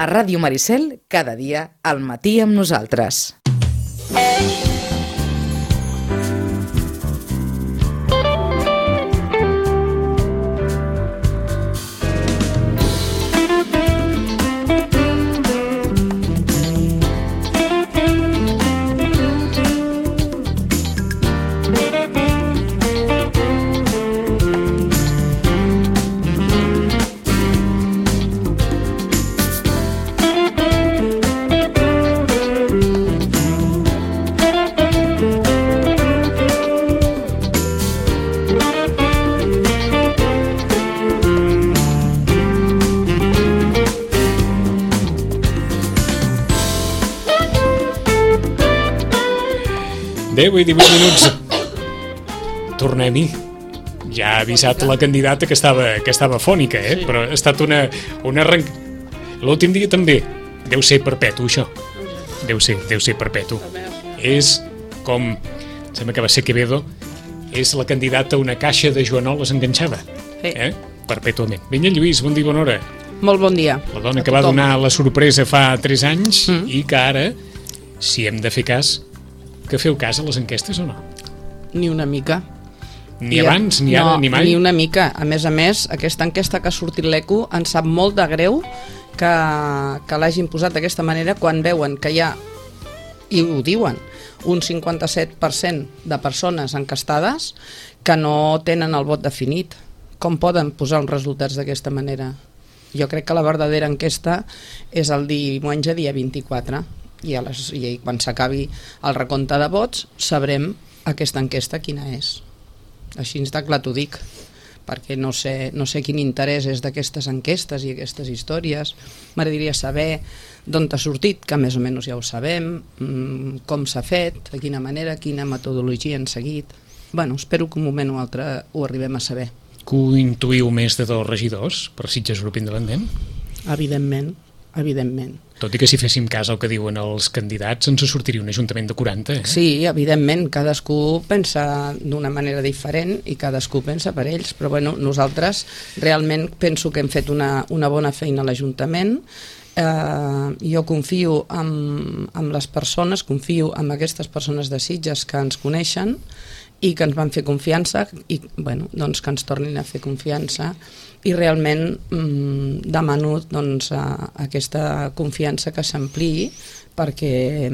A Ràdio Maricel, cada dia al matí amb nosaltres. Deu i 18 minuts. Tornem-hi. Ja ha avisat la candidata que estava fònica, Sí. Però ha estat una L'últim dia també. Deu ser perpetu, això. Deu ser perpetu. És com... Sembla que va ser Quevedo. És la candidata a una caixa de joanoles enganxada. Sí. Perpètuament. Vinga, Lluís, bon dia, bona hora. Molt bon dia. La dona que va donar la sorpresa fa 3 anys i que ara, si hem de fer cas, que feu cas a les enquestes o no? Ni una mica. Ni abans, ni ara, ni mai? Ni una mica. A més, aquesta enquesta que ha sortit l'ECO ens sap molt de greu que l'hagin posat d'aquesta manera quan veuen que hi ha, i ho diuen, un 57% de persones encastades que no tenen el vot definit. Com poden posar uns resultats d'aquesta manera? Jo crec que la verdadera enquesta és el diumenge, dia 24, i quan s'acabi el recompte de vots sabrem aquesta enquesta quina és. Així de clar t'ho dic, perquè no sé quin interès és d'aquestes enquestes i aquestes històries. M'agradaria saber d'on t'ha sortit, que més o menys ja ho sabem, com s'ha fet, de quina manera, quina metodologia han seguit. Bueno, espero que un moment o altre ho arribem a saber. Que ho intuïu més de 2 regidors per Sitges Grup Independent? Evidentment. Tot i que si féssim cas al que diuen els candidats ens sortiria un ajuntament de 40, Sí, evidentment, cadascú pensa d'una manera diferent i cadascú pensa per ells, però bueno, nosaltres realment penso que hem fet una bona feina a l'Ajuntament. Jo confio en les persones, confio en aquestes persones de Sitges que ens coneixen i que ens van fer confiança i bueno, doncs que ens tornin a fer confiança i realment demano doncs, aquesta confiança que s'ampliï perquè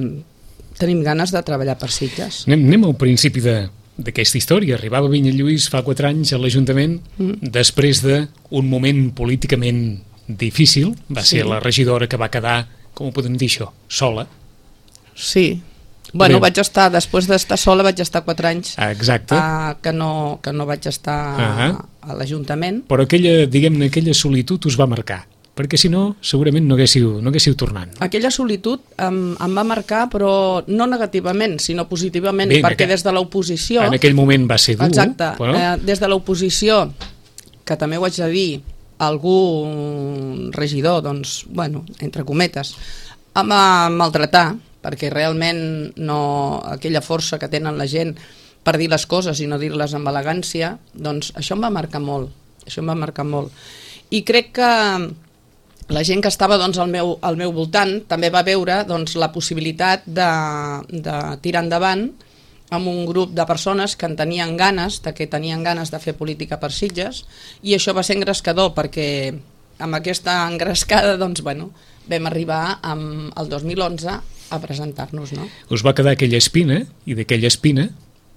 tenim ganes de treballar per Sitges. Anem al principi d'aquesta història. Arribava Vinyalluís fa 4 anys a l'Ajuntament després d'un moment políticament difícil. Va ser la regidora que va quedar, com ho podem dir això, sola. Sí. Bueno, després d'estar sola vaig estar 4 anys que no vaig estar a l'Ajuntament. Però aquella solitud us va marcar, perquè si no segurament no haguéssiu tornat. Aquella solitud em va marcar, però no negativament, sinó positivament, perquè des de l'oposició... En aquell moment va ser dur. Exacte, des de l'oposició, que també ho haig de dir, algun regidor, doncs, bueno, entre cometes, em va maltratar, perquè realment aquella força que tenen la gent per dir les coses i no dir-les amb elegància, doncs això em va marcar molt, I crec que la gent que estava doncs, al meu voltant també va veure doncs, la possibilitat de tirar endavant amb un grup de persones que tenien ganes de fer política per Sitges, i això va ser engrescador perquè amb aquesta engrescada doncs, bueno, vam arribar el 2011 a presentar-nos, no? Us va quedar aquella espina, i d'aquella espina...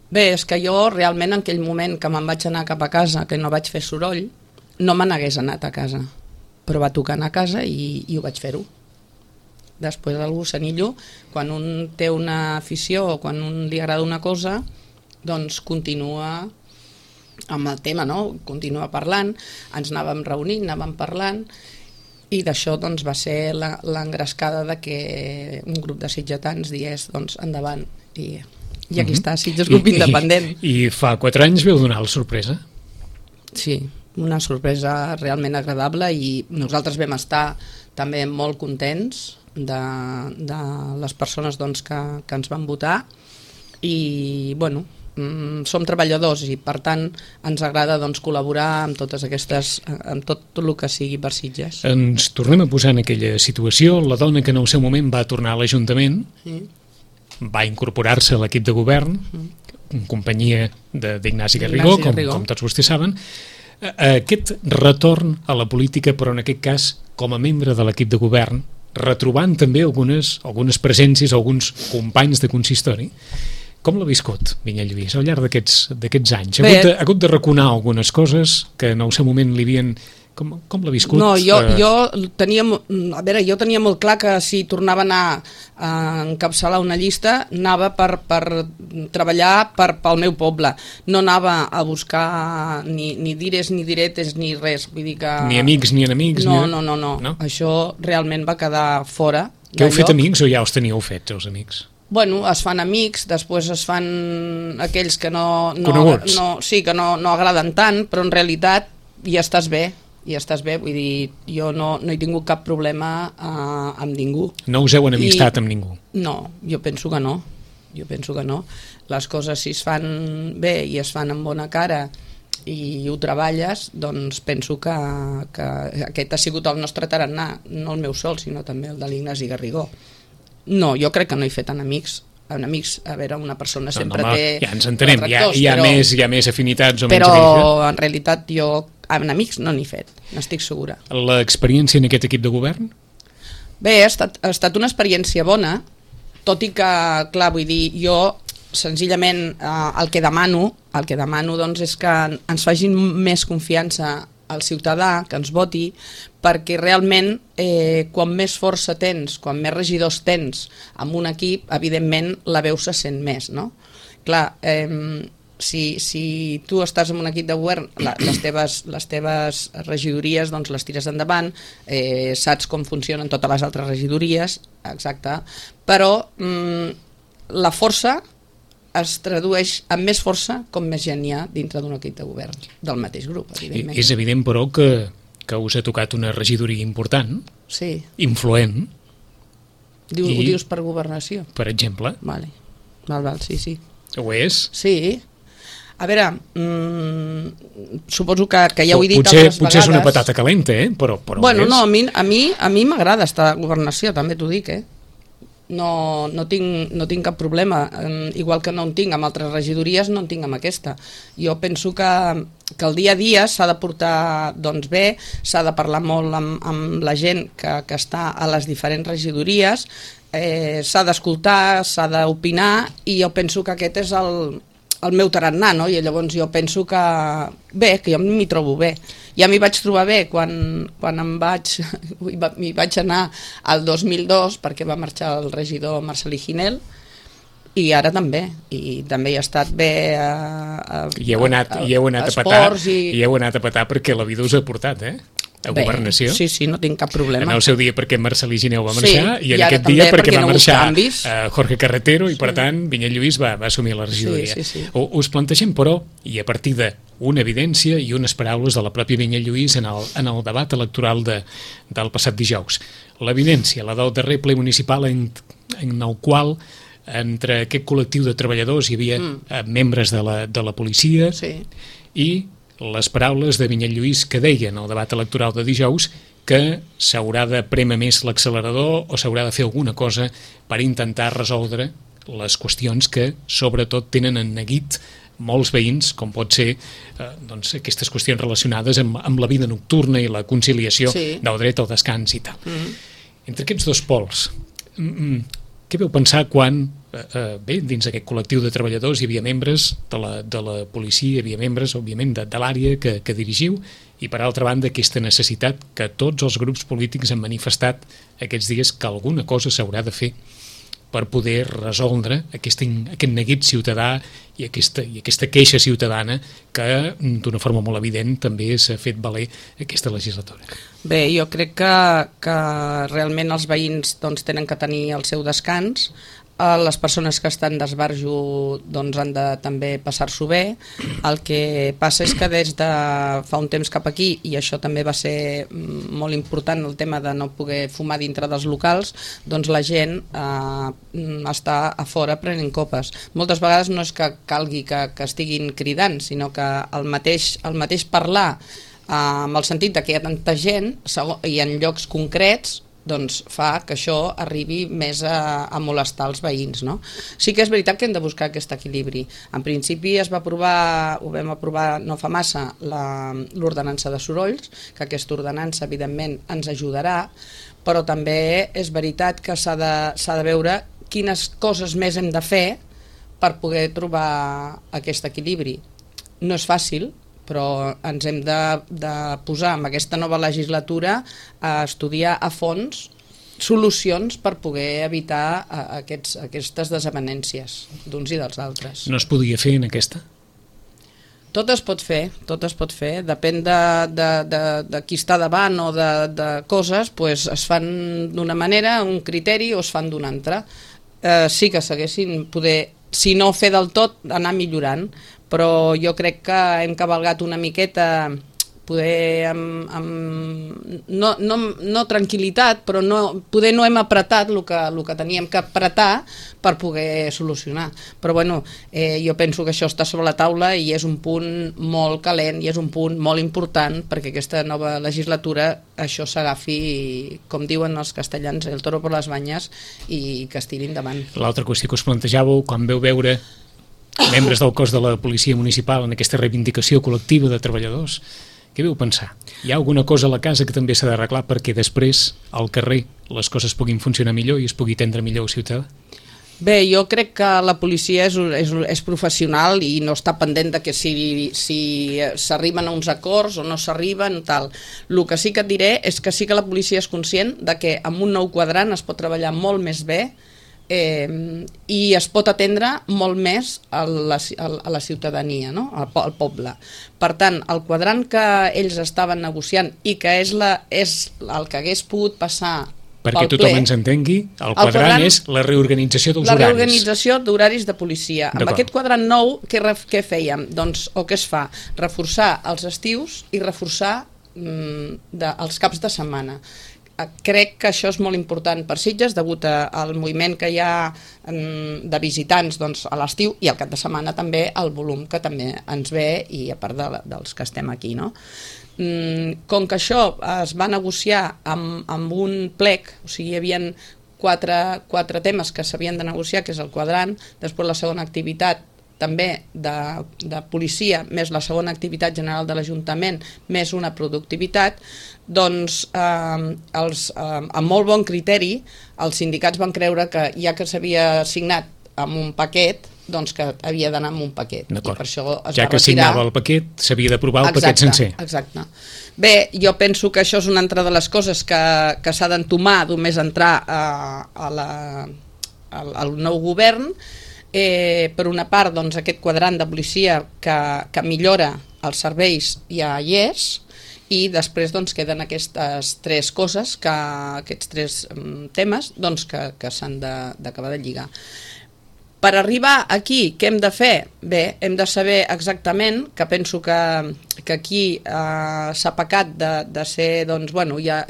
Bé, és que jo realment en aquell moment que me'n vaig anar cap a casa, que no vaig fer soroll, no me n'hagués anat a casa, però va tocar anar a casa i ho vaig fer-ho. Després del gossanillo, quan un té una afició o quan un li agrada una cosa, doncs continua amb el tema, no? Continua parlant, ens anàvem reunint, anàvem parlant, i d'això doncs, va ser l'engrescada de que un grup de sitgetans digués doncs, endavant, i aquí està, Sitges Grup Independent. I fa 4 anys veu donar la sorpresa? Sí, una sorpresa realment agradable, i nosaltres vam estar també molt contents de les persones doncs, que ens van votar, i bueno, som treballadors i per tant ens agrada doncs, col·laborar amb totes aquestes, amb tot el que sigui per Sitges. Ens tornem a posar en aquella situació. La dona que en el seu moment va tornar a l'Ajuntament va incorporar-se a l'equip de govern en companyia d'Ignasi Garrigó, com tots vostès saben. Aquest retorn a la política, però en aquest cas com a membre de l'equip de govern, retrobant també algunes presències, alguns companys de consistori. Com l'ha viscut, Vinyet Lluís, al llarg d'aquests anys? Ha hagut de raconar algunes coses que en el seu moment li havien... Com l'ha viscut? No, jo tenia molt clar que si tornava a anar a encapçalar una llista anava per treballar pel meu poble, no anava a buscar ni dires ni diretes ni res, vull dir que... Ni amics ni enemics? No, això realment va quedar fora. Que heu fet amics o ja els teníeu fets, els amics? Bueno, es fan amics, després es fan aquells que coneguts. Sí, que no agraden tant, però en realitat ja estàs bé, vull dir, jo no he tingut cap problema amb ningú. No us heu enemistat amb ningú? No, jo penso que no. Les coses, si es fan bé i es fan amb bona cara i ho treballes, doncs penso que aquest ha sigut el nostre tarannà, no el meu sol, sinó també el de l'Ignasi Garrigó. No, jo crec que no he fet enemics, a veure, una persona sempre té... Ja ens entenem, hi ha més afinitats o menys però amics. En realitat jo enemics no n'he fet, n'estic segura. L'experiència en aquest equip de govern? Bé, ha estat una experiència bona, tot i que, clar, vull dir, jo senzillament el que demano doncs, és que ens facin més confiança al ciutadà, que ens voti, perquè realment quan més força tens, quan més regidors tens amb un equip, evidentment la veu se sent més, no? Clar, si tu estàs en un equip de govern, les teves regidories doncs les tires endavant, saps com funcionen totes les altres regidories, exacte, però la força es tradueix amb més força com més gent hi ha dintre d'un equip de govern del mateix grup, evidentment. És evident, però, que us ha tocat una regidoria important, sí. Influent. Ho dius per governació? Per exemple. Val, sí. Ho és? Sí. A veure, suposo que ja ho he dit altres vegades. Potser és una patata calenta, però bueno, no, a mi m'agrada estar a governació, també t'ho dic, No tinc cap problema, igual que no en tinc amb altres regidories, no en tinc amb aquesta. Jo penso que el dia a dia s'ha de portar doncs, bé, s'ha de parlar molt amb la gent que està a les diferents regidories, s'ha d'escoltar, s'ha d'opinar, i jo penso que aquest és el meu tarannà, no? I llavors jo penso que jo m'hi trobo bé. Ja m'hi vaig trobar bé quan m'hi vaig anar al 2002 perquè va marxar el regidor Marcelí Ginel, i ara també, i també hi ha estat bé i heu anat a petar perquè la vida us ha portat, a governació. Sí, no tinc cap problema. En el seu dia perquè Marcelí Gineu va marxar, i en aquest dia perquè va marxar Jorge Carretero, i per tant Vinyet Lluís va assumir la regidoria. Sí. Us plantegem, però, i a partir d'una evidència i unes paraules de la pròpia Vinyet Lluís en el debat electoral del passat dijous. L'evidència, la del darrer ple municipal en el qual entre aquest col·lectiu de treballadors hi havia membres de la policia, i les paraules de Vinyet Lluís que deien al debat electoral de dijous que s'haurà de prémer més l'accelerador o s'haurà de fer alguna cosa per intentar resoldre les qüestions que sobretot tenen en neguit molts veïns, com pot ser aquestes qüestions relacionades amb la vida nocturna i la conciliació del dret al descans i tal. Entre aquests dos pols, què vau pensar quan, dins d'aquest col·lectiu de treballadors hi havia membres de la policia, hi havia membres, òbviament, de l'àrea que dirigiu, i per altra banda aquesta necessitat que tots els grups polítics han manifestat aquests dies que alguna cosa s'haurà de fer per poder resoldre aquest neguit ciutadà i aquesta queixa ciutadana que d'una forma molt evident també s'ha fet valer aquesta legislatura. Bé, jo crec que realment els veïns doncs, tenen que tenir el seu descans, les persones que estan d'esbarjo doncs, han de també passar-s'ho bé. El que passa és que des de fa un temps cap aquí, i això també va ser molt important, el tema de no poder fumar dintre dels locals, doncs la gent està a fora prenent copes. Moltes vegades no és que calgui que estiguin cridant, sinó que el mateix parlar amb el sentit de que hi ha tanta gent i en llocs concrets doncs fa que això arribi més a molestar els veïns, no? Sí que és veritat que hem de buscar aquest equilibri. En principi ho vam aprovar no fa massa l'ordenança de sorolls, que aquesta ordenança evidentment ens ajudarà, però també és veritat que s'ha de veure quines coses més hem de fer per poder trobar aquest equilibri. No és fàcil, però ens hem de posar en aquesta nova legislatura a estudiar a fons solucions per poder evitar aquestes desavenències d'uns i dels altres. No es podia fer en aquesta? Tot es pot fer, depèn de qui està davant o de coses, doncs es fan d'una manera, un criteri, o es fan d'una altra. Sí que s'haguessin poder, si no fer del tot, anar millorant, però jo crec que hem cavalgat una miqueta, poder no tranquil·litat, però poder no hem apretat el que teníem que apretar per poder solucionar. Però bueno, jo penso que això està sobre la taula i és un punt molt calent i és un punt molt important perquè aquesta nova legislatura això s'agafi, com diuen els castellans, el toro per les banyes i que es tiri endavant. L'altra qüestió que us plantejàveu, quan veu veure membres del cos de la policia municipal en aquesta reivindicació col·lectiva de treballadors, què veu pensar? Hi ha alguna cosa a la casa que també s'ha d'arreglar perquè després, al carrer, les coses puguin funcionar millor i es pugui atendre millor el ciutadà? Bé, jo crec que la policia és professional i no està pendent de que si s'arriben a uns acords o no s'arriben, tal. El que sí que et diré és que sí que la policia és conscient de que amb un nou quadrant es pot treballar molt més bé i es pot atendre molt més a la ciutadania, no? Al poble. Per tant, el quadrant que ells estaven negociant i que és el que hagués pogut passar perquè tothom ens entengui, el quadrant és la reorganització dels horaris. La reorganització d'horaris de policia. Amb aquest quadrant nou, què fèiem? Doncs, o què es fa? Reforçar els estius i reforçar els caps de setmana. Crec que això és molt important per Sitges degut al moviment que hi ha de visitants a l'estiu i al cap de setmana també el volum que també ens ve i a part dels que estem aquí, no? Com que això es va negociar amb un plec, o sigui, hi havia quatre temes que s'havien de negociar, que és el quadrant, després la segona activitat també de policia, més la segona activitat general de l'Ajuntament, més una productivitat, doncs amb molt bon criteri els sindicats van creure que ja que s'havia signat amb un paquet, doncs que havia d'anar amb un paquet. I per això es va retirar. Ja que signava el paquet, s'havia d'aprovar el paquet sencer. Exacte. Bé, jo penso que això és una altra de les coses que s'ha d'entomar només entrar al nou govern. Per una part, doncs, aquest quadrant de policia que millora els serveis ja hi és, i després doncs, queden aquestes tres coses, aquests tres temes doncs, que s'han d'acabar de lligar. Per arribar aquí, què hem de fer? Bé, hem de saber exactament, que penso que aquí s'ha pecat de ser, doncs, bueno, ja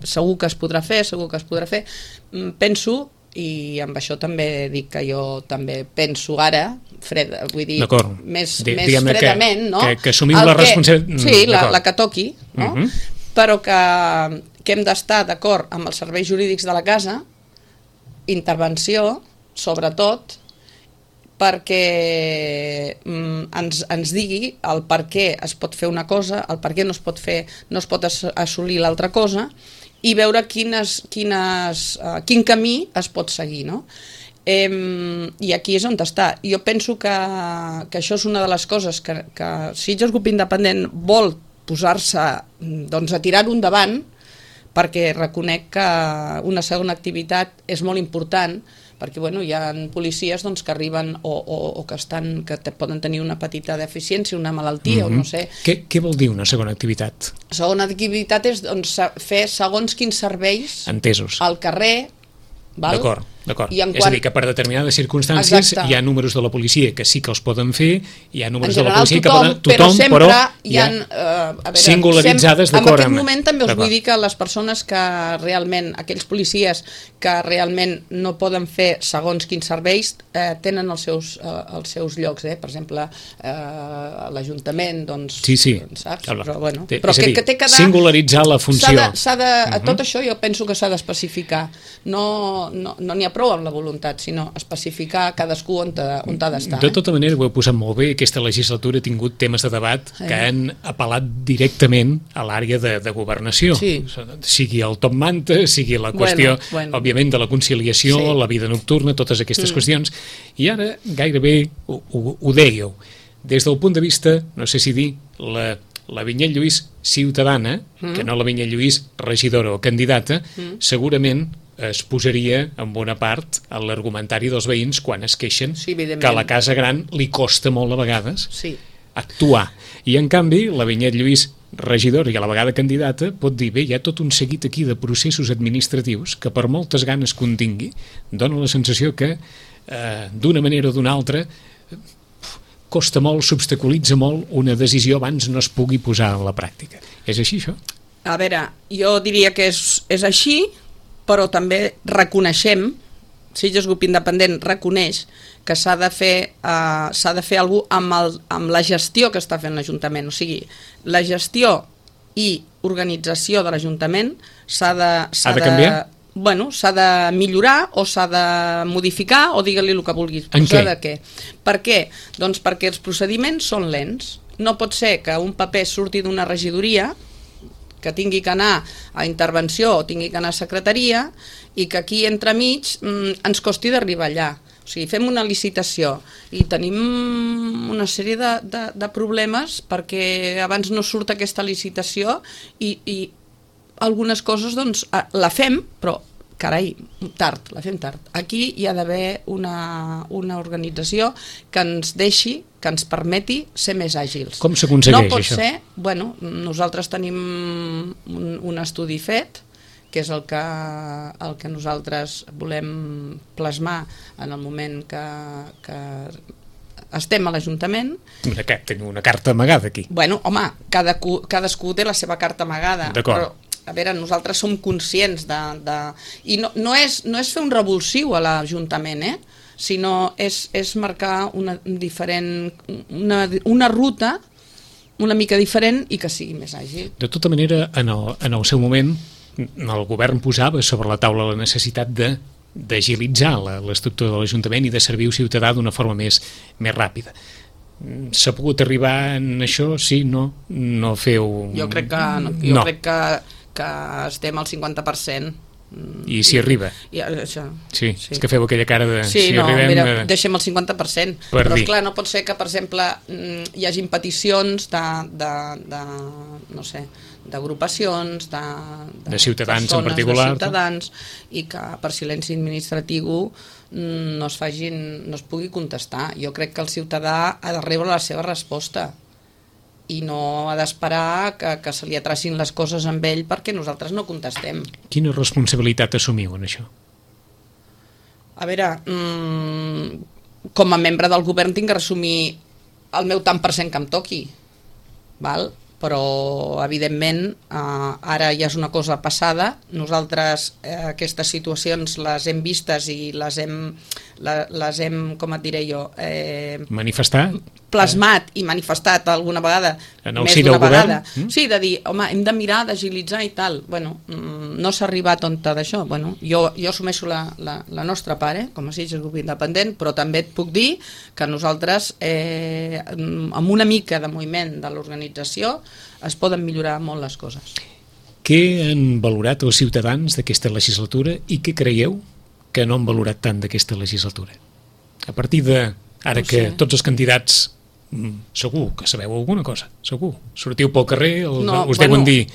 segur que es podrà fer, penso, i amb això també dic que jo també penso ara, vull dir, més fredament, no? Que assumim la responsabilitat. Sí, la que toqui, no? Però que hem d'estar d'acord amb els serveis jurídics de la casa, intervenció, sobretot, perquè ens digui el per què es pot fer una cosa, el per què no es pot assolir l'altra cosa, i veure quin camí es pot seguir, no? I aquí és on està. Jo penso que això és una de les coses que Sitges Grup Independent vol posar-se a tirar-ho endavant, perquè reconec que una segona activitat és molt important, perquè hi ha policies que arriben o que poden tenir una petita deficiència, una malaltia o no sé. Què vol dir una segona activitat? Segona activitat és fer segons quins serveis al carrer. D'acord. D'acord, és a dir, que per determinades circumstàncies hi ha números de la policia que sí que els poden fer, hi ha números de la policia que poden... Tothom, però hi ha singularitzades d'acord amb... En aquest moment també us vull dir que les persones que realment, aquells policies que realment no poden fer segons quins serveis, tenen els seus llocs, per exemple, l'Ajuntament, doncs, saps? Però, bueno, però és a dir, que singularitzar la funció. Tot això jo penso que s'ha d'especificar. No n'hi ha prou amb la voluntat, sinó especificar cadascú on ha d'estar. De tota manera, ho heu posat molt bé, aquesta legislatura ha tingut temes de debat que han apel·lat directament a l'àrea de governació. Sigui el top manta, sigui la qüestió, òbviament, de la conciliació, la vida nocturna, totes aquestes qüestions. I ara gairebé ho dèieu. Des del punt de vista, no sé si dir, la Vinyet Lluís ciutadana, que no la Vinyet Lluís regidora o candidata, segurament es posaria en bona part a l'argumentari dels veïns quan es queixen que a la Casa Gran li costa molt a vegades actuar. I en canvi la Vinyet Lluís regidora i a la vegada candidata pot dir, bé, hi ha tot un seguit aquí de processos administratius que per moltes ganes que un tingui dona la sensació que d'una manera o d'una altra costa molt, s'obstaculitza molt una decisió abans no es pugui posar en la pràctica. És així, això? A veure, jo diria que és així, però també reconeixem, Sitges Grup Independent reconeix que s'ha de fer alguna cosa amb la gestió que està fent l'Ajuntament. O sigui, la gestió i organització de l'Ajuntament s'ha de canviar? Bueno, s'ha de millorar o s'ha de modificar o digue-li el que vulguis. En què? Per què? Doncs perquè els procediments són lents. No pot ser que un paper surti d'una regidoria, que tingui que anar a intervenció o tingui que anar a secretaria i que aquí entremig ens costi d'arribar allà. O sigui, fem una licitació i tenim una sèrie de problemes perquè abans no surt aquesta licitació i algunes coses doncs la fem, però carai, tard, la fem tard. Aquí hi ha d'haver una organització que ens deixi, que ens permeti ser més àgils. Com s'aconsegueix això? No pot ser, bueno, nosaltres tenim un estudi fet, que és el que nosaltres volem plasmar en el moment que estem a l'Ajuntament. Tenim una carta amagada aquí. Bueno, home, cadascú té la seva carta amagada. D'acord. Però a veure, nosaltres som conscients i no és fer un revulsiu a l'Ajuntament, sinó és marcar una ruta una mica diferent i que sigui més àgil. De tota manera, en el seu moment, el govern posava sobre la taula la necessitat d'agilitzar l'estructura de l'Ajuntament i de servir al ciutadà d'una forma més ràpida. S'ha pogut arribar en això? Sí? No? No feu... Jo crec que estem al 50%. I s'hi arriba? Sí, és que feu aquella cara de... Sí, no, mira, deixem el 50%. Però esclar, no pot ser que, per exemple, hi hagin peticions no sé, d'agrupacions, de ciutadans en particular, de ciutadans, i que per silenci administratiu no es pugui contestar. Jo crec que el ciutadà ha de rebre la seva resposta i no ha d'esperar que se li atracin les coses amb ell perquè nosaltres no contestem. Quina responsabilitat assumiu en això? A veure, com a membre del govern tinc que assumir el meu tant per cent que em toqui, val? Però evidentment ara ja és una cosa passada. Nosaltres aquestes situacions les hem vistes i les hem, com et diré jo, manifestat? Plasmat i manifestat alguna vegada, més d'una vegada. Sí, de dir, home, hem de mirar d'agilitzar i tal. Bueno, no s'ha arribat on d'això. Bueno, jo assumeixo la nostra part, com a Sitges Grup Independent, però també et puc dir que nosaltres, amb una mica de moviment de l'organització, es poden millorar molt les coses. Què han valorat els ciutadans d'aquesta legislatura i què creieu que no han valorat tant d'aquesta legislatura? A partir de, ara que tots els candidats segur que sabeu alguna cosa, segur. Sortiu pel carrer, us deuen dir.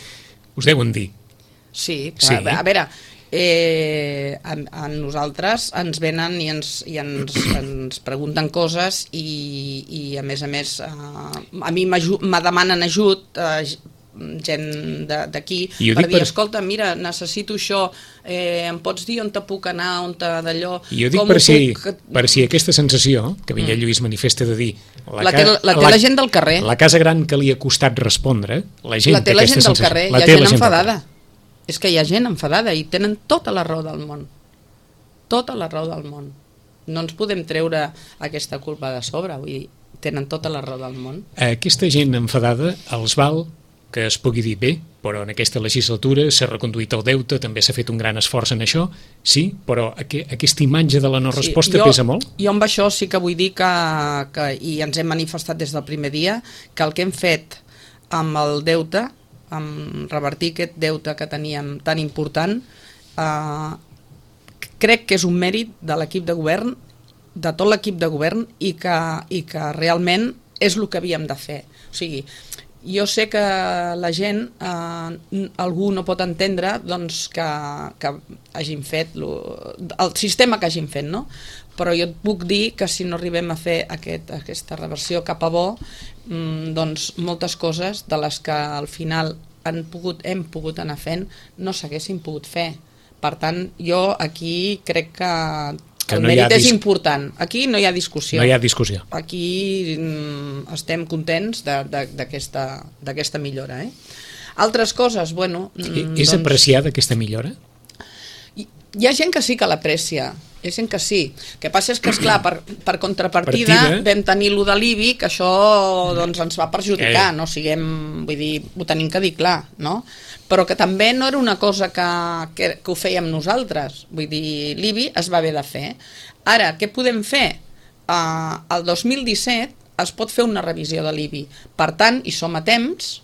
Sí, a veure, a nosaltres ens venen i ens pregunten coses i a més a mi me demanen ajut gent d'aquí I ho per dic dir, per- escolta, mira, necessito això, em pots dir on te puc anar, on te d'allò... I ho dic com per ho per si aquesta sensació que Vinyet Lluís manifesta de dir La té la gent del carrer. la casa gran que li ha costat respondre, la gent La té la aquesta gent del sensació. carrer, La hi ha té gent la del enfadada. carrer. És que hi ha gent enfadada i tenen tota la raó del món. Tota la raó del món. No ens podem treure aquesta culpa de sobre, vull dir, tenen tota la raó del món. Aquesta gent enfadada els val que es pugui dir bé, però en aquesta legislatura s'ha reconduït el deute, també s'ha fet un gran esforç en això, sí, però aquesta imatge de la no resposta pesa molt? Jo amb això sí que vull dir que i ens hem manifestat des del primer dia, que el que hem fet amb el deute, amb revertir aquest deute que teníem tan important, crec que és un mèrit de l'equip de govern, de tot l'equip de govern, i que realment és el que havíem de fer. O sigui, jo sé que la gent, algú no pot entendre doncs, que hagin fet el sistema que hagin fet, no? Però jo et puc dir que si no arribem a fer aquesta reversió cap a bo, doncs moltes coses de les que al final hem pogut anar fent no s'haguessin pogut fer. Per tant, jo aquí crec que el mèrit és important. Aquí no hi ha discussió. No hi ha discussió. Aquí estem contents d'aquesta millora. Altres coses, bueno... És apreciada aquesta millora? Hi ha gent que sí que l'aprecia, hi ha gent que sí. El que passa és que, esclar, per contrapartida vam tenir lo de l'IBI, que això doncs, ens va perjudicar, no siguem, vull dir, ho tenim que dir clar, no? Però que també no era una cosa que ho fèiem nosaltres, vull dir, l'IBI es va haver de fer. Ara, què podem fer? El 2017 es pot fer una revisió de l'IBI, per tant, hi som a temps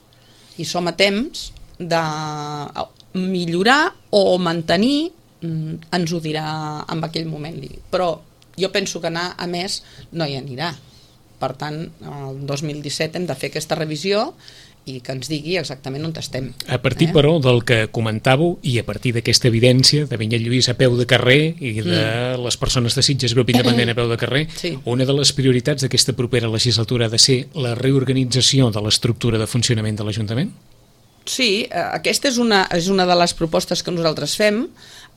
de millorar o mantenir, ens ho dirà en aquell moment l'IBI, però jo penso que anar a més no hi anirà. Per tant, el 2017 hem de fer aquesta revisió i que ens digui exactament on estem. A partir, però, del que comentàveu i a partir d'aquesta evidència de Vinyet Lluís a peu de carrer i de les persones de Sitges Grup Independent a peu de carrer, una de les prioritats d'aquesta propera legislatura ha de ser la reorganització de l'estructura de funcionament de l'Ajuntament? Sí, aquesta és una de les propostes que nosaltres fem.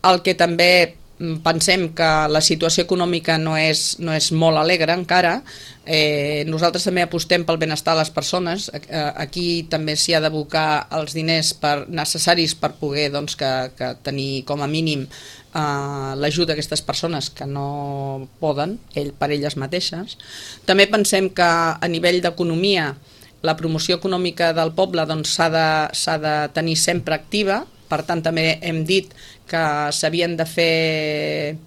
El que també pensem que la situació econòmica no és molt alegre encara. Nosaltres també apostem pel benestar de les persones. Aquí també s'hi ha d'abocar els diners necessaris per poder doncs, que tenir com a mínim l'ajut d'aquestes persones que no poden per elles mateixes. També pensem que a nivell d'economia la promoció econòmica del poble doncs, s'ha de tenir sempre activa. Per tant, també hem dit que s'havien de fer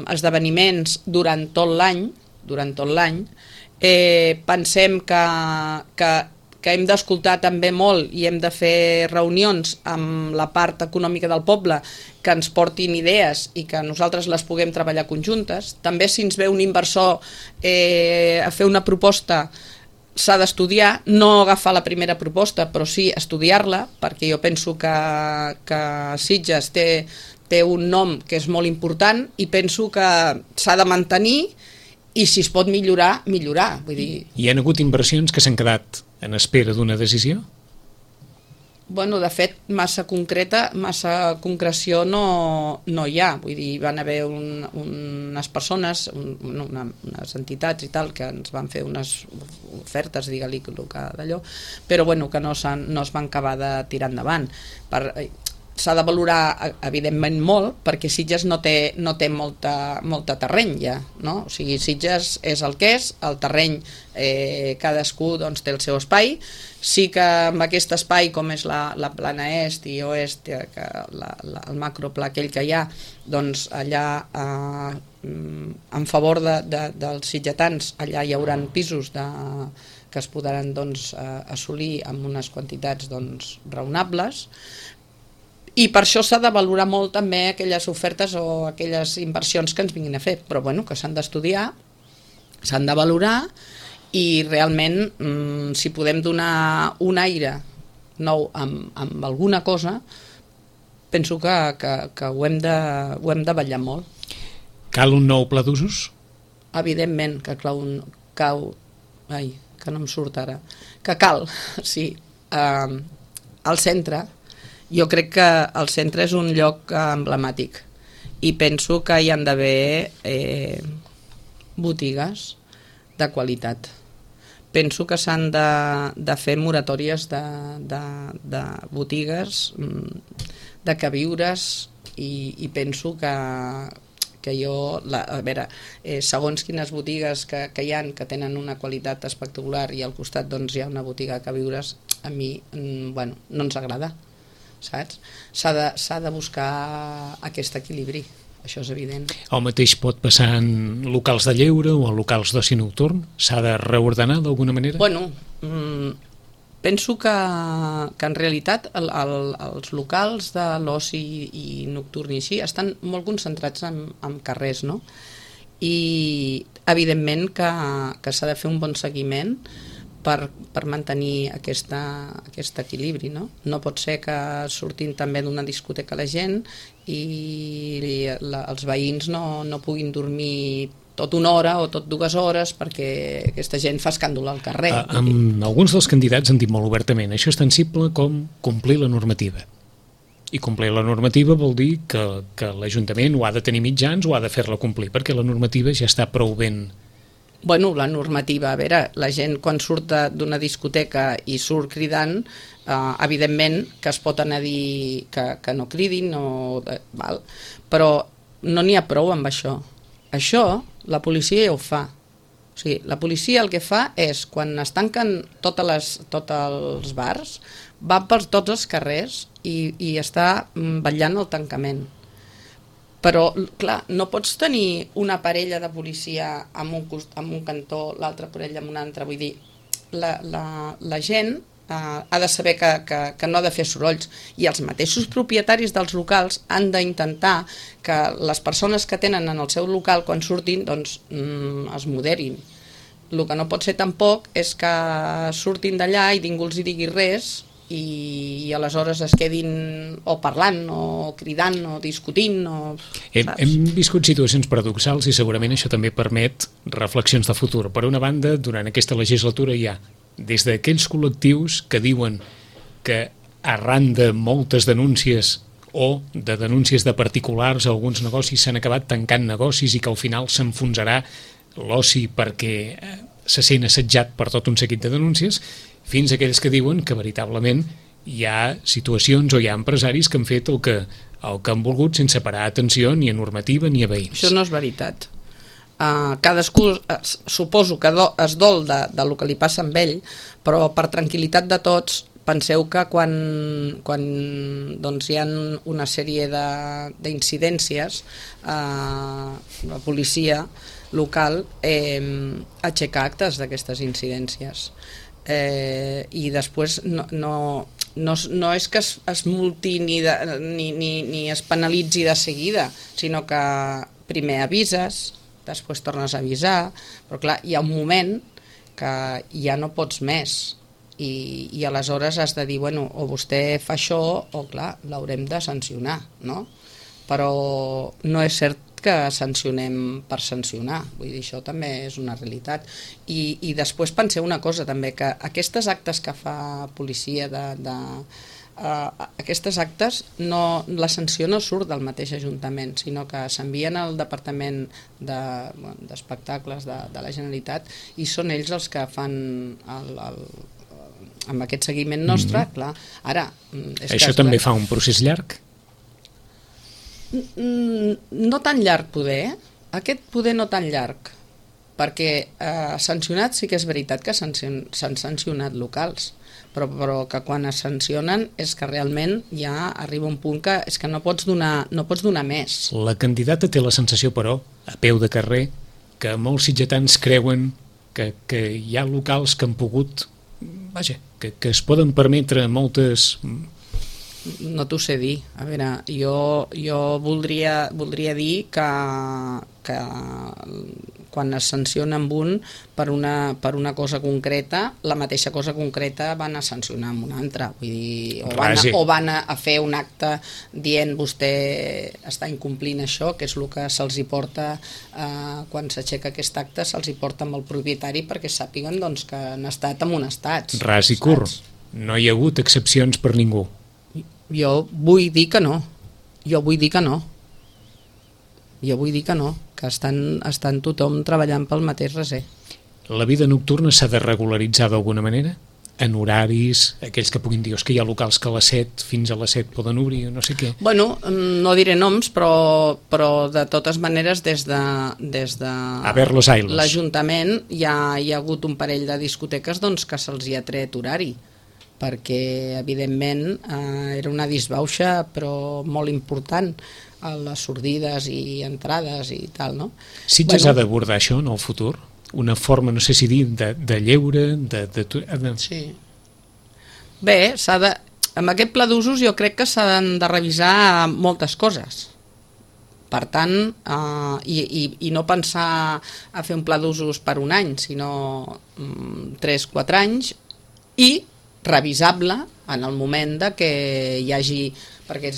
esdeveniments durant tot l'any. Pensem que hem d'escoltar també molt i hem de fer reunions amb la part econòmica del poble que ens portin idees i que nosaltres les puguem treballar conjuntes. També si ens ve un inversor a fer una proposta, s'ha d'estudiar, no agafar la primera proposta, però sí estudiar-la, perquè jo penso que Sitges té un nom que és molt important i penso que s'ha de mantenir i si es pot millorar, millorar. Vull dir... Hi ha hagut inversions que s'han quedat en espera d'una decisió? Bueno, de fet, massa concreció no hi ha. Vull dir, van haver unes persones, unes entitats i tal, que ens van fer unes ofertes, digue-li d'allò, però bueno, que no es van acabar de tirar endavant. S'ha de valorar, evidentment, molt, perquè Sitges no té molta terreny ja, no? O sigui, Sitges és el que és, el terreny cadascú doncs, té el seu espai. Sí que amb aquest espai, com és la plana est i oest, el macropla aquell que hi ha, doncs allà en favor dels sitgetans, allà hi haurà pisos que es podran doncs, assolir amb unes quantitats doncs, raonables. I per això s'ha de valorar molt també aquelles ofertes o aquelles inversions que ens vinguin a fer, però bueno, que s'han d'estudiar, s'han de valorar i realment si podem donar un aire nou amb alguna cosa, penso que ho hem de vetllar molt. Cal un nou pla d'usos? Evidentment que que no em surt ara, que cal, sí. al centre, jo crec que el centre és un lloc emblemàtic i penso que hi han d'haver botigues de qualitat. Penso que s'han de fer moratòries de botigues, de queviures, i penso que jo, a veure, segons quines botigues que hi ha que tenen una qualitat espectacular i al costat doncs hi ha una botiga de queviures, a mi no ens agrada, saps? S'ha de buscar aquest equilibri. Això és evident. El mateix pot passar en locals de lleure o en locals d'oci nocturn? S'ha de reordenar d'alguna manera? Bueno, penso que en realitat els locals de l'oci i nocturn i així estan molt concentrats en carrers, no? I evidentment que s'ha de fer un bon seguiment per mantenir aquest equilibri, no? No pot ser que surtin també d'una discoteca la gent i els veïns no puguin dormir tot una hora o tot 2 hores perquè aquesta gent fa escàndol al carrer. Alguns dels candidats han dit molt obertament això és tan simple com complir la normativa. I complir la normativa vol dir que l'Ajuntament ho ha de tenir mitjans o ha de fer-la complir, perquè la normativa ja està prou ben... Bueno, la normativa, a veure, la gent quan surt d'una discoteca i surt cridant, evidentment que es pot anar a dir que no cridin, val? Però no n'hi ha prou amb això. Això la policia ja ho fa. O sigui, la policia el que fa és, quan es tanquen tots els bars, va per tots els carrers i està vetllant el tancament. Però, clar, no pots tenir una parella de policia en un cantó, l'altra parella en un altre. Vull dir, la gent ha de saber que no ha de fer sorolls, i els mateixos propietaris dels locals han d'intentar que les persones que tenen en el seu local quan surtin doncs es moderin. El que no pot ser tampoc és que surtin d'allà i ningú els hi digui res i aleshores es quedin o parlant o cridant o discutint Hem viscut situacions paradoxals i segurament això també permet reflexions de futur. Per una banda, durant aquesta legislatura hi ha des d'aquells col·lectius que diuen que arran de moltes denúncies o de denúncies de particulars a alguns negocis s'han acabat tancant negocis i que al final s'enfonsarà l'oci perquè se sent assetjat per tot un seguit de denúncies, fins a aquells que diuen que veritablement hi ha situacions o hi ha empresaris que han fet el que han volgut sense parar atenció ni a normativa ni a veïns. Això no és veritat. Cadascú suposo que es dol del que li passa amb ell, però per tranquil·litat de tots penseu que quan doncs, hi ha una sèrie d'incidències, la policia local aixeca actes d'aquestes incidències. I després no és que es multi ni es penalitzi de seguida, sinó que primer avises, després tornes a avisar, però clar, hi ha un moment que ja no pots més i aleshores has de dir, bueno, o vostè fa això o clar, l'haurem de sancionar, no? Però no és cert que sancionem per sancionar, vull dir, això també és una realitat. I després penseu una cosa també, que aquestes actes que fa policia aquestes actes, la sanció no surt del mateix Ajuntament, sinó que s'envien al Departament d'Espectacles de la Generalitat i són ells els que fan amb aquest seguiment nostre, clar. Ara, això també fa un procés llarg? No tan llarg poder, aquest poder no tan llarg, perquè sancionats sí que és veritat que s'han sancionat locals, però que quan es sancionen és que realment ja arriba un punt que és que no pots donar més. La candidata té la sensació, però, a peu de carrer, que molts sitgetans creuen que hi ha locals que han pogut, vaja, que es poden permetre moltes... No t'ho sé dir. A veure, jo voldria dir que quan es sanciona amb un per una cosa concreta, la mateixa cosa concreta van a sancionar amb una altra. Vull dir, o van a fer un acte dient vostè està incomplint això, que és el que se'ls hi porta quan s'aixeca aquest acte, se'ls hi porta amb el propietari perquè sàpiguen doncs, que han estat amonestats. Ras i curt. no hi ha hagut excepcions per ningú. Jo vull dir que no. Jo vull dir que no. Que estan tothom treballant pel mateix recer. La vida nocturna s'ha de regularitzar d'alguna manera? En horaris, aquells que puguin dir que hi ha locals que a les 7 fins a les 7 poden obrir, no sé què. Bueno, no diré noms, però de totes maneres des de A ver los ailos. l'Ajuntament hi ha hagut un parell de discoteques doncs, que se'ls hi ha tret horari, perquè evidentment era una disbauxa però molt important a les sordides i entrades i tal, no? Sitges ha d'abordar això en el futur? Una forma, no sé si dir, de lleure, Sí. Bé, amb aquest pla d'usos jo crec que s'han de revisar moltes coses. Per tant, i no pensar a fer un pla d'usos per un any, sinó 3-4 anys, i revisable en el moment de que hi hagi... Perquè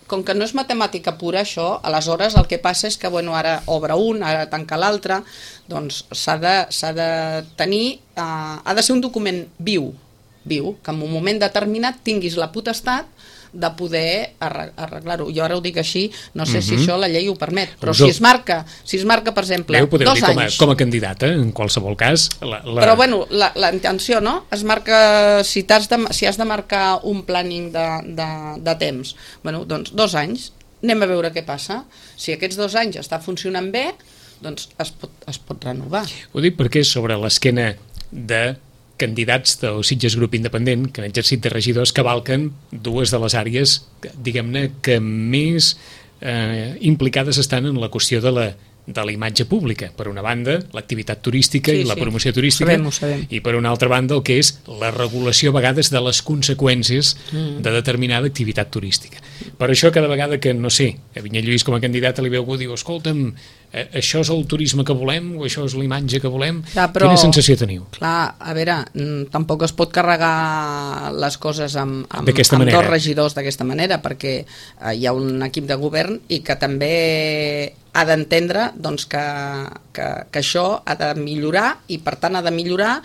com que no és matemàtica pura això, aleshores el que passa és que ara obre un, ara tanca l'altre, doncs s'ha de tenir, ha de ser un document viu, que en un moment determinat tinguis la potestat de poder arreglar-ho. Jo ara ho dic així, no sé si això la llei ho permet, però si es marca, per exemple, 2 anys... Com a candidata, en qualsevol cas... Però bueno, la intenció, no? Es marca, si has de marcar un planning de temps, bueno, doncs 2 anys, anem a veure què passa. Si aquests 2 anys està funcionant bé, doncs es pot renovar. Ho dic perquè sobre l'esquena de candidats del Sitges Grup Independent que han exercit de regidors cavalquen dues de les àrees, diguem-ne, que més implicades estan en la qüestió de la imatge pública. Per una banda, l'activitat turística i la promoció turística, ho sabem. I per una altra banda el que és la regulació a vegades de les conseqüències de determinada activitat turística. Per això cada vegada que, no sé, a Vinyet Lluís com a candidat li veu algú diu, escolta'm, això és el turisme que volem o això és la imatge que volem, però, quina sensació teniu? Clar, a veure, tampoc es pot carregar les coses amb 2 regidors d'aquesta manera, perquè hi ha un equip de govern i que també ha d'entendre doncs, que això ha de millorar i per tant ha de millorar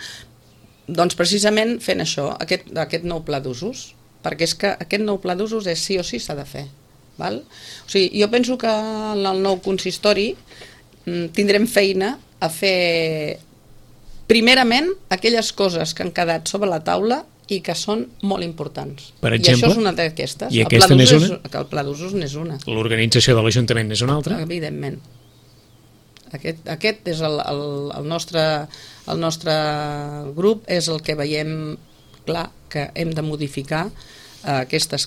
doncs, precisament fent això, aquest nou pla d'usos, perquè és que aquest nou pla d'usos és sí o sí s'ha de fer. Val? O sigui, jo penso que en el nou consistori tindrem feina a fer primerament aquelles coses que han quedat sobre la taula i que són molt importants. Per exemple? I això és una d'aquestes. I aquesta n'és una? El pla d'usos n'és una. L'organització de l'Ajuntament n'és una altra? Evidentment. Aquest és el nostre grup, és el que veiem clar que hem de modificar aquests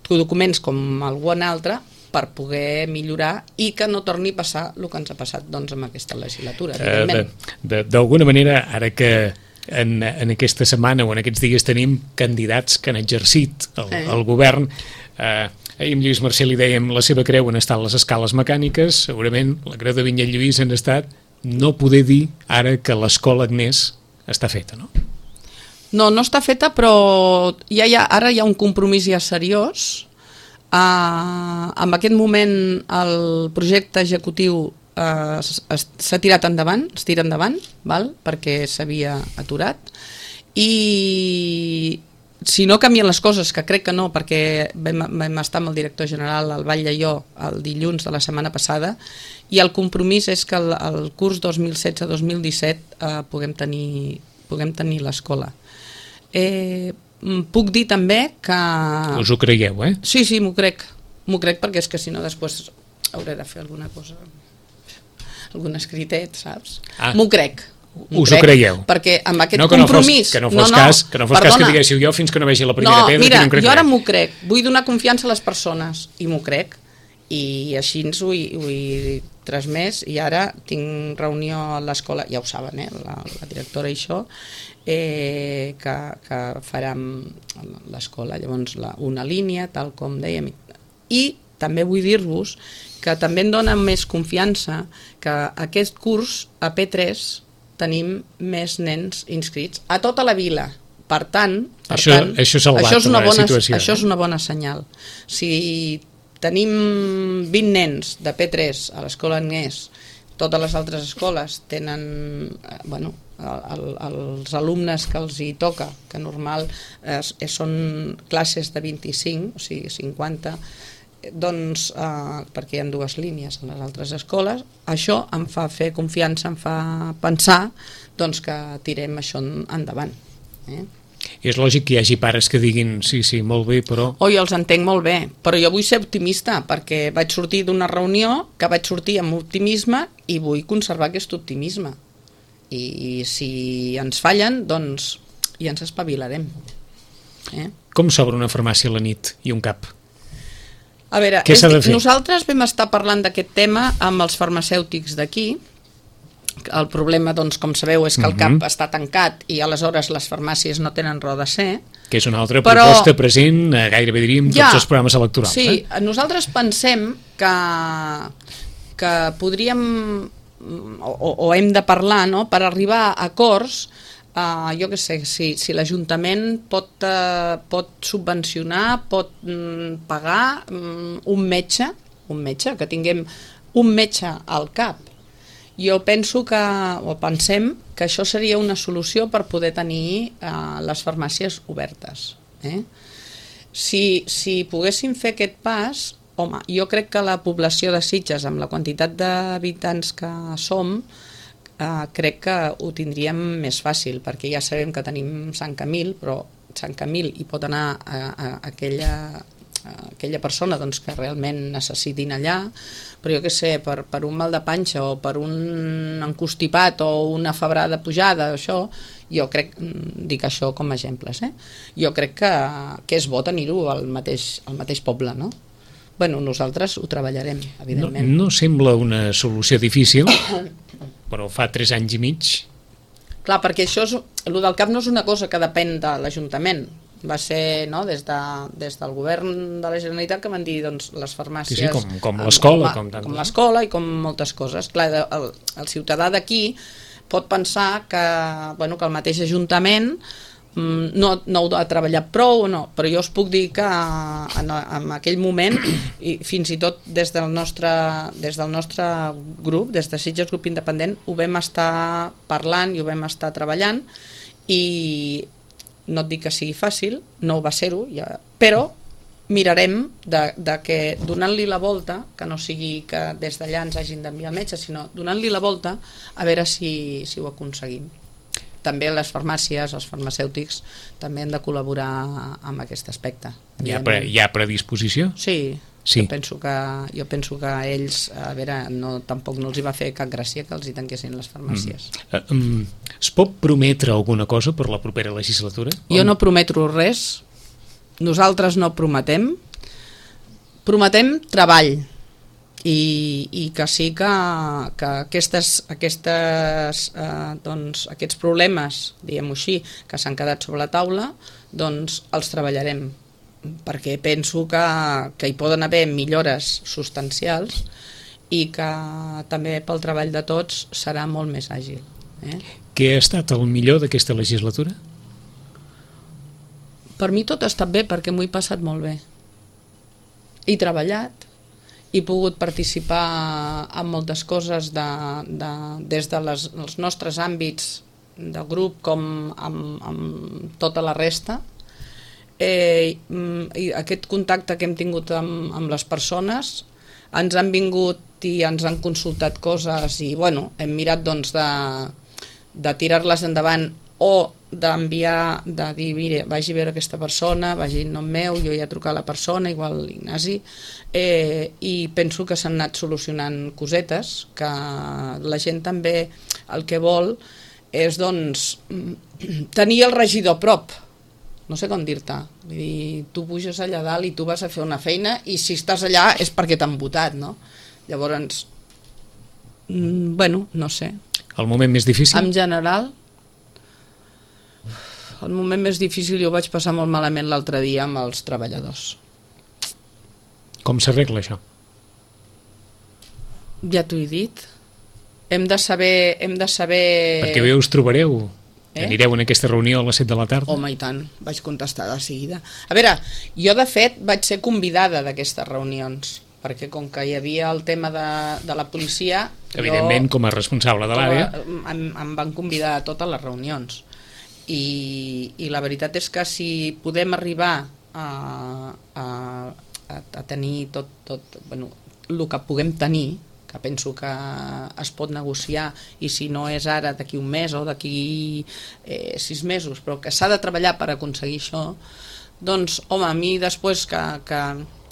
documents com algun altre per poder millorar i que no torni a passar el que ens ha passat doncs, amb aquesta legislatura. D'alguna manera, ara que en aquesta setmana o en aquests dies tenim candidats que han exercit el govern, ahir amb Lluís Marcel li dèiem la seva creu han estat les escales mecàniques, segurament la creu de Vinyet Lluís han estat no poder dir ara que l'escola Agnès està feta, no? No està feta, però ara hi ha un compromís ja seriós. En aquest moment el projecte executiu s'ha tirat endavant, es tira endavant, perquè s'havia aturat, i si no canvien les coses, que crec que no, perquè vam estar amb el director general al Vall d'Aió el dilluns de la setmana passada, i el compromís és que el curs 2016-2017 puguem tenir l'escola. Puc dir també que... Us ho creieu, eh? Sí, m'ho crec perquè és que si no després hauré de fer alguna cosa, algun escritet, saps? M'ho crec. Us ho creieu? Perquè amb aquest compromís... Que no fos cas que diguéssiu jo fins que no vegi la primera pedra. Mira, jo ara m'ho crec, vull donar confiança a les persones i m'ho crec, i així ho he transmès, i ara tinc reunió a l'escola, ja ho saben, la directora i això, que farem l'escola, llavors una línia, tal com dèiem, i també vull dir-vos que també em dona més confiança que aquest curs a P3 tenim més nens inscrits a tota la vila. Per tant, això és una bona senyal. Si tenim 20 nens de P3 a l'escola Agnès, totes les altres escoles tenen els alumnes que els hi toca, que normal són classes de 25, o sigui 50, doncs, perquè hi ha dues línies en les altres escoles, això em fa fer confiança, em fa pensar doncs, que tirem això endavant. És lògic que hi hagi pares que diguin sí, molt bé, però... Jo els entenc molt bé, però jo vull ser optimista, perquè vaig sortir d'una reunió que vaig sortir amb optimisme i vull conservar aquest optimisme. I si ens fallen, doncs ja ens espavilarem. Com s'obre una farmàcia a la nit i un CAP? A veure, què s'ha de fer? Nosaltres vam estar parlant d'aquest tema amb els farmacèutics d'aquí. El problema, doncs, com sabeu, és que el CAP està tancat i aleshores les farmàcies no tenen raó de ser. Que és una altra proposta present, gairebé diríem, tots els programes electorals. Sí, nosaltres pensem que podríem o hem de parlar, no?, per arribar a acords. Jo què sé, si l'Ajuntament pot subvencionar, pot pagar un metge, que tinguem un metge al CAP. Jo penso pensem que això seria una solució per poder tenir les farmàcies obertes. Si poguéssim fer aquest pas, home, jo crec que la població de Sitges, amb la quantitat d'habitants que som, crec que ho tindríem més fàcil, perquè ja sabem que tenim Sant Camil, però Sant Camil hi pot anar a aquella persona doncs, que realment necessitin allà, però jo què sé, per un mal de panxa o per un encostipat o una febrada pujada, això, jo crec, dic això com a exemples, jo crec que és bo tenir-ho al mateix poble, no? Bueno, nosaltres ho treballarem, evidentment. No sembla una solució difícil, però fa 3 anys i mig. Clar, perquè el del CAP no és una cosa que depèn de l'Ajuntament. Va ser des del govern de la Generalitat que van dir doncs, les farmàcies... Sí, com l'escola. Com l'escola i com moltes coses. Clar, el ciutadà d'aquí pot pensar que el mateix Ajuntament no ho ha treballat prou o no, però jo us puc dir que en aquell moment, i fins i tot des del nostre grup, des de Sitges Grup Independent, ho vam estar parlant i ho vam estar treballant, i no et dic que sigui fàcil, no ho va ser-ho, però mirarem de que donant-li la volta, que no sigui que des d'allà ens hagin d'enviar el metge, sinó donant-li la volta a veure si ho aconseguim. També les farmàcies, els farmacèutics, també han de col·laborar amb aquest aspecte. Hi ha predisposició? Sí. Jo penso que ells, a veure, tampoc no els hi va fer cap gràcia que els hi tanquessin les farmàcies. Es pot prometre alguna cosa per la propera legislatura? Jo no prometo res, nosaltres no prometem treball, i que sí que aquests problemes, diguem-ho així, que s'han quedat sobre la taula, doncs els treballarem, perquè penso que hi poden haver millores substancials i que també pel treball de tots serà molt més àgil. Què ha estat el millor d'aquesta legislatura? Per mi tot ha estat bé, perquè m'ho he passat molt bé. He treballat, he pogut participar en moltes coses des dels nostres àmbits de grup com amb tota la resta. I aquest contacte que hem tingut amb les persones, ens han vingut i ens han consultat coses i hem mirat de tirar-les endavant o d'enviar, de dir, mira, vagi a veure aquesta persona, vagi en nom meu, jo ja he trucat a la persona, igual l'Ignasi, i penso que s'han anat solucionant cosetes, que la gent també el que vol és, doncs, tenir el regidor a prop. No sé com dir-te. Vull dir, tu puges allà dalt i tu vas a fer una feina i si estàs allà és perquè t'han votat, no? Llavors, no sé. El moment més difícil? En general, el moment més difícil jo vaig passar molt malament l'altre dia amb els treballadors. Com s'arregla això? Ja t'ho he dit. Hem de saber... Perquè bé us trobareu. Anireu en aquesta reunió a les 7 de la tarda? Home, i tant, vaig contestar de seguida. A veure, jo de fet vaig ser convidada d'aquestes reunions, perquè com que hi havia el tema de la policia... Evidentment, com a responsable de l'àrea... Em van convidar a totes les reunions. I la veritat és que si podem arribar a tenir tot bueno, el que puguem tenir, que penso que es pot negociar, i si no és ara, d'aquí un mes o d'aquí 6 mesos, però que s'ha de treballar per aconseguir això, doncs, home, a mi després que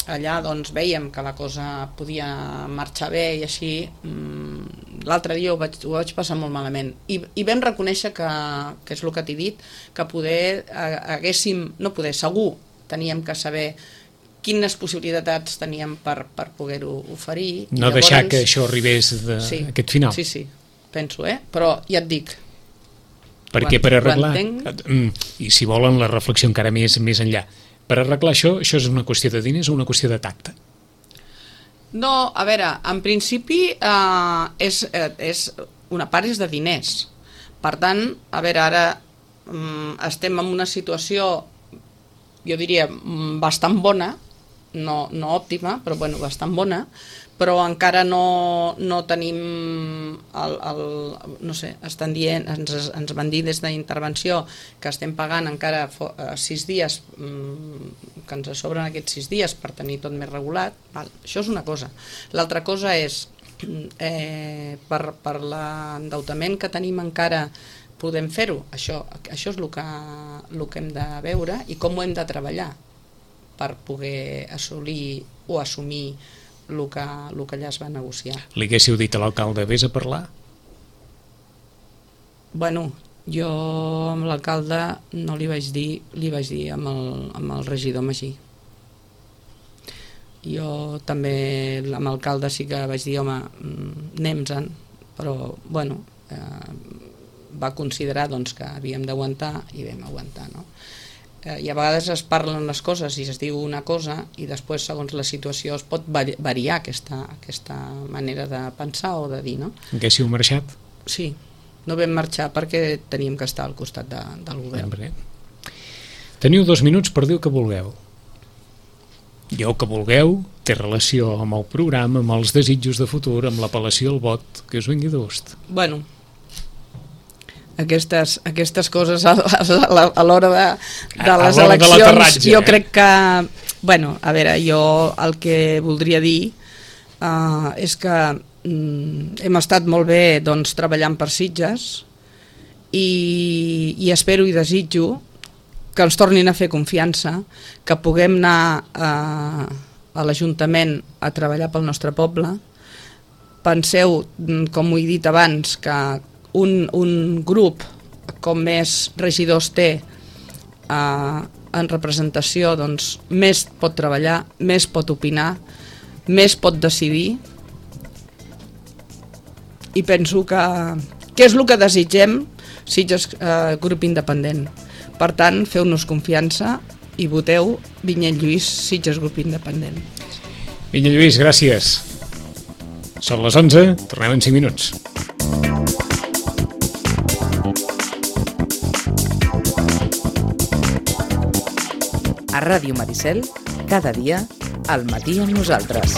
allà doncs, veiem que la cosa podia marxar bé i així, l'altre dia ho vaig passar molt malament. I vam reconèixer que és el que t'he dit, que poder haguéssim, no poder, segur, teníem que saber quines possibilitats teníem per poder-ho oferir. No llavors, deixar que això arribés aquest final. Sí, penso, però ja et dic. Perquè per arreglar, i si volen la reflexió encara més enllà, per arreglar això és una qüestió de diners o una qüestió de tacte? No, a veure, en principi és una part és de diners. Per tant, a veure, ara estem en una situació, jo diria, bastant bona, no òptima, però bueno, bastant bona, però encara no tenim no sé, estan dient, ens van dir des d'intervenció que estem pagant encara 6 dies, que ens sobren aquests 6 dies per tenir tot més regulat. Això és una cosa. L'altra cosa és per l'endeutament que tenim encara podem fer-ho. Això és el que hem de veure i com ho hem de treballar per poder assolir o assumir el que allà es va negociar. Li haguéssiu dit a l'alcalde, vés a parlar? Bueno, jo amb l'alcalde no li vaig dir, li vaig dir amb el regidor Magí. Jo també amb l'alcalde sí que vaig dir, home, anem-se'n, però bueno, va considerar doncs, que havíem d'aguantar i vam aguantar, no? I a vegades es parlen les coses i es diu una cosa i després segons la situació es pot variar aquesta manera de pensar o de dir, no? Haguéssiu marxat? Sí, no vam marxar perquè teníem que estar al costat del govern. Teniu 2 minuts per dir el que vulgueu. I el que vulgueu té relació amb el programa, amb els desitjos de futur, amb l'apel·lació al vot, que us vingui de gust. Bueno, aquestes coses a l'hora de les eleccions jo crec que, bueno, a veure, jo el que voldria dir és que hem estat molt bé doncs, treballant per Sitges i espero i desitjo que ens tornin a fer confiança, que puguem anar a l'Ajuntament a treballar pel nostre poble. Penseu, com ho he dit abans, que un grup com més regidors té en representació, doncs més pot treballar, més pot opinar, més pot decidir, i penso que és el que desitgem Sitges grup independent. Per tant, feu-nos confiança i voteu Vinyet Lluís, Sitges grup independent. Vinyet Lluís, gràcies. Són les 11, tornem en 5 minuts. A Ràdio Maricel, cada dia, al matí amb nosaltres.